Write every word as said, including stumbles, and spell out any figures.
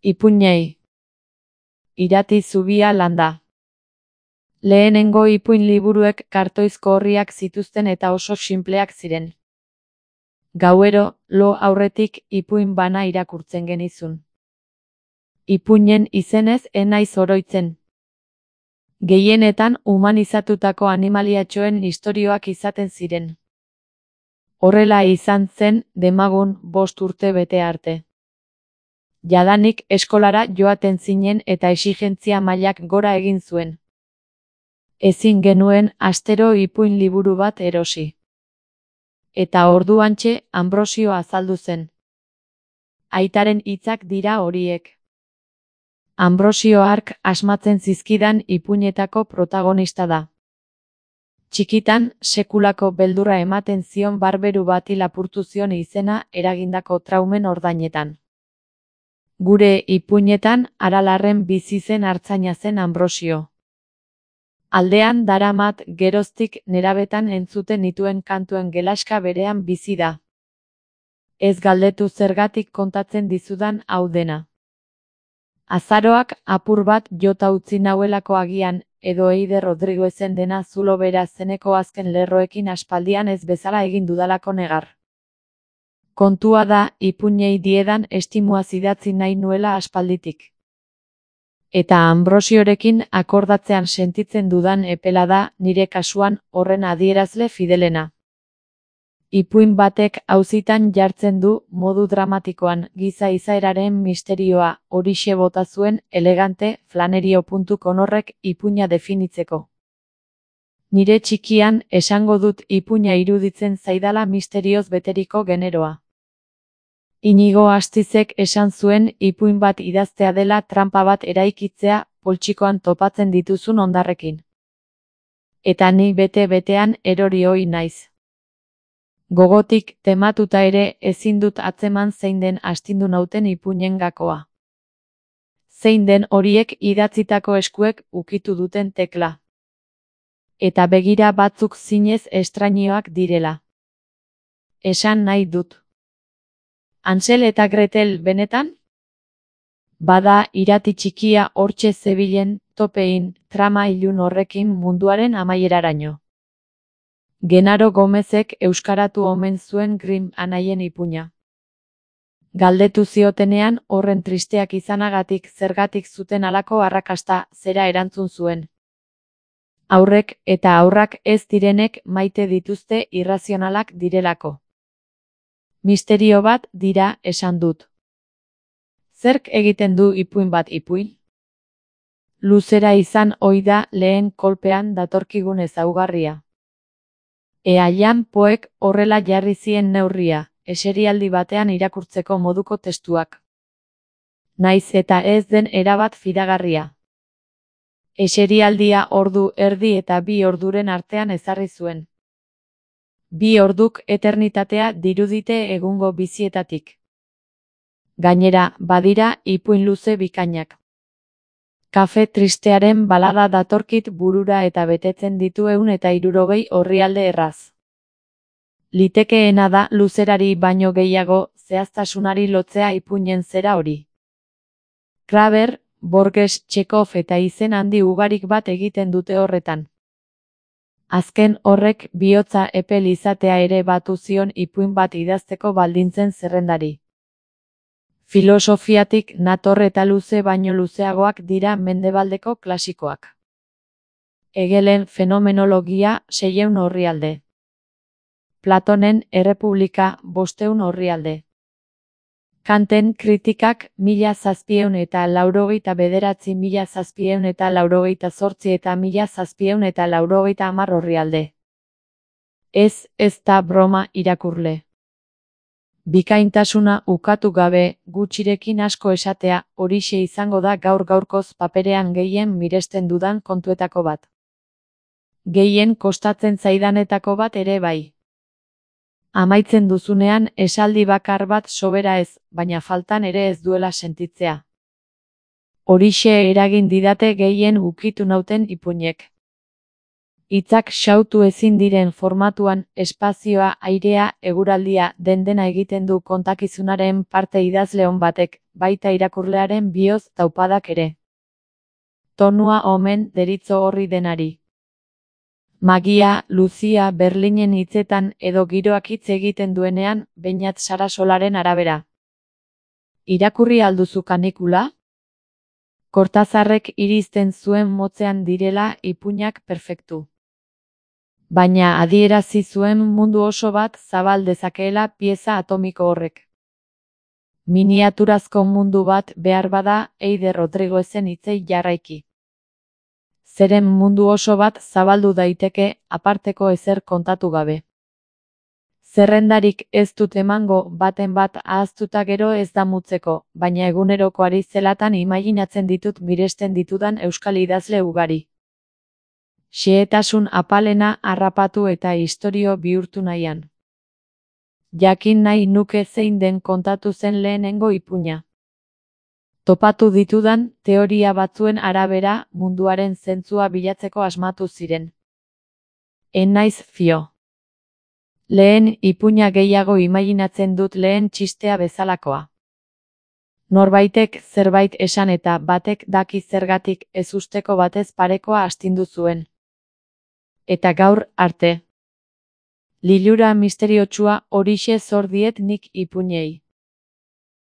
Ipuinei. Irati zubia landa. Lehenengo ipuin liburuek kartoizko orriak zituzten eta oso sinpleak ziren. Gauero, lo aurretik ipuin bana irakurtzen genizun. Ipuinen izenez ez naiz oroitzen. Gehienetan humanizatutako animaliatxoen istorioak izaten ziren. Horrela izan zen demagun bost urte bete arte. Jadanik eskolara joaten zinen eta exigentzia mailak gora egin zuen. Ezin genuen astero ipuin liburu bat erosi. Eta orduantxe Anbrosio azaldu zen. Aitaren hitzak dira horiek. Anbrosio hark asmatzen zizkidan ipuinetako protagonista da. Txikitan, sekulako beldurra ematen zion barberu bati lapurtu zion izena eragindako traumen ordainetan. Gure ipuinetan Aralarren bizi zen artzaina zen Anbrosio. Aldean daramat geroztik nerabetan entzuten nituen kantuen gelaska berean bizi da. Ez galdetu zergatik kontatzen dizudan hau dena. Azaroak apur bat jota utzi nauelako agian, edo Eider Rodriguezen dena zulo bera zeneko azken lerroekin aspaldian ez bezala egin dudalako negar. Kontua da, ipuinei diedan estimuaz idatzi nahi nuela aspalditik. Eta Anbrosiorekin akordatzean sentitzen dudan epela da, nire kasuan, horren adierazle fidelena. Ipuin batek auzitan jartzen du, modu dramatikoan, giza izaeraren misterioa, horixe bota zuen, elegante, flanerio puntu com horrek ipuina definitzeko. Nire txikian, esango dut ipuina iruditzen zaidala misterioz beteriko generoa. Inigo Astizek esan zuen ipuin bat idaztea dela tranpa bat eraikitzea poltsikoan topatzen dituzun hondarrekin. Eta ni bete-betean erori ohi naiz. Gogotik tematuta ere ezin dut atzeman zein den astindu nauten ipuinen gakoa. Zein den horiek idatzitako eskuek ukitu duten tekla. Eta begira batzuk zinez estrainioak direla. Esan nahi dut. Hansel eta Gretel benetan? Bada irati txikia hortxe zebilen, topein, trama ilun horrekin munduaren amaieraraino. Genaro Gomezek euskaratu omen zuen Grimm anaien ipuina. Galdetu ziotenean horren tristeak izanagatik zergatik zuten halako arrakasta zera erantzun zuen. Haurrek eta haurrak ez direnek maite dituzte irrazionalak direlako. Misterio bat dira esan dut. Zerk egiten du ipuin bat ipuin? Luzera izan ohi da lehen kolpean datorkigun ezaugarria. Ea Jan Poek horrela jarri zien neurria, eserialdi batean irakurtzeko moduko testuak. Naiz eta ez den erabat fidagarria. Eserialdia ordu erdi eta bi orduren artean ezarri zuen. Bi orduk eternitatea dirudite egungo bizietatik. Gainera, badira ipuin luze bikainak. Kafe tristearen balada datorkit burura eta betetzen ditu ehun eta hirurogei orrialde erraz. Litekeena da luzerari baino gehiago zehaztasunari lotzea ipuinen zera hori. Kraber, Borges, Txekov eta izen handi ugarik bat egiten dute horretan. Azken horrek bihotza epel izatea ere batu zion ipuin bat idazteko baldintzen zerrendari. Filosofiatik nator eta luze baino luzeagoak dira mendebaldeko klasikoak. Hegelen fenomenologia seiehun orrialde. Platonen Errepublika bostehun orrialde. Kanten kritikak mila zazpiehun eta laurogeita bederatzi mila zazpiehun eta laurogeita zortzi eta mila zazpiehun eta laurogeita hamar orrialde. Ez, ez da broma irakurle. Bikaintasuna ukatu gabe, gutxirekin asko esatea, horixe izango da gaur gaurkoz paperean gehien miresten dudan kontuetako bat. Gehien kostatzen zaidanetako bat ere bai. Amaitzen duzunean esaldi bakar bat sobera ez, baina faltan ere ez duela sentitzea. Horixe eragin didate gehien ukitu nauten ipuinek. Hitzak xautu ezin diren formatuan, espazioa, airea, eguraldia, den-dena egiten du kontakizunaren parte idazle on batek, baita irakurlearen bihotz taupadak ere. Tonua omen deritzo horri denari. Magia, Luzia, Berlinen hitzetan edo giroak hitz egiten duenean, Beñat Sarasolaren arabera. Irakurri alduzu kanikula? Kortazarrek irizten zuen motzean direla ipuinak perfektu. Baina adierazi zuen mundu oso bat zabal dezakeela pieza atomiko horrek. Miniaturazko mundu bat behar bada Eider Rodriguezen hitzei jarraiki. Zeren mundu oso bat zabaldu daiteke, aparteko ezer kontatu gabe. Zerrendarik ez dut emango, baten bat ahaztuta gero ez damutzeko, baina egunerokoari zelatan imaginatzen ditut miresten ditudan euskal idazle ugari. Xehetasun apalena harrapatu eta istorio bihurtu nahian. Jakin nahi nuke zein den kontatu zen lehenengo ipuina. Topatu ditudan, teoria batzuen arabera, munduaren zentzua bilatzeko asmatu ziren. En naiz fio. Lehen ipuina gehiago imaginatzen dut lehen txistea bezalakoa. Norbaitek zerbait esan eta batek daki zergatik ezusteko batez parekoa astindu zuen. Eta gaur arte. Lilura misteriotsua horixe zor diet nik ipuinei.